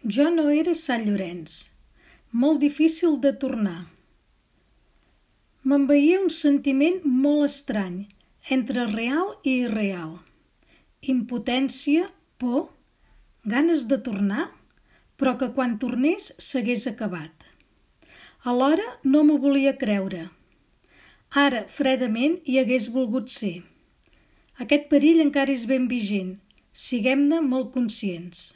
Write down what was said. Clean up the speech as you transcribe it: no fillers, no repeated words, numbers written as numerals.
Jo no era Sant Llorenç, molt difícil de tornar. M'envaïa un sentiment molt estrany, entre real i irreal. Impotència, por, ganes de tornar, però que quan tornés s'hagués acabat. Alhora no m'ho volia creure. Ara, fredament, hi hagués volgut ser. Aquest perill encara és ben vigent. Siguem-ne molt conscients.